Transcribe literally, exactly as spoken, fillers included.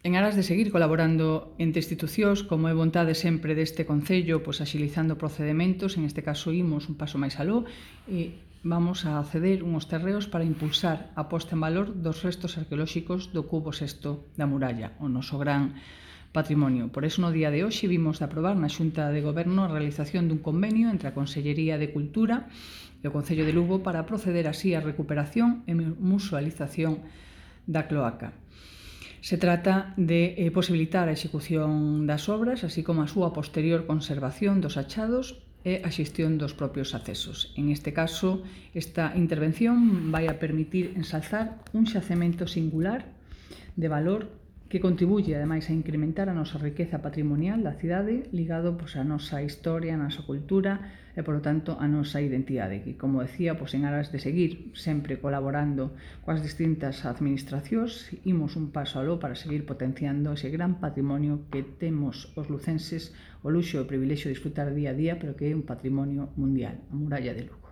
En aras de seguir colaborando entre institucións, como é vontade sempre deste Concello, pois axilizando procedementos, en este caso imos un paso máis aló e vamos a ceder unhos terreos para impulsar a posta en valor dos restos arqueolóxicos do cubo sexto da muralla, o noso gran patrimonio. Por iso, no día de hoxe, vimos de aprobar na Xunta de Goberno a realización dun convenio entre a Consellería de Cultura e o Concello de Lugo para proceder así á recuperación e musealización da cloaca. Se trata de eh, posibilitar a execución das obras, así como a súa posterior conservación dos achados e a xestión dos propios accesos. En este caso, esta intervención vai a permitir ensalzar un xacemento singular de valor que contribuye, ademais, a incrementar a nosa riqueza patrimonial da cidade, ligado pois, a nosa historia, a nosa cultura e, polo tanto, a nosa identidade, que, como decía, pois, en aras de seguir sempre colaborando coas distintas administracións, imos un paso aló para seguir potenciando ese gran patrimonio que temos os lucenses o luxo e o privilexio de disfrutar día a día, pero que é un patrimonio mundial, a muralla de Lugo.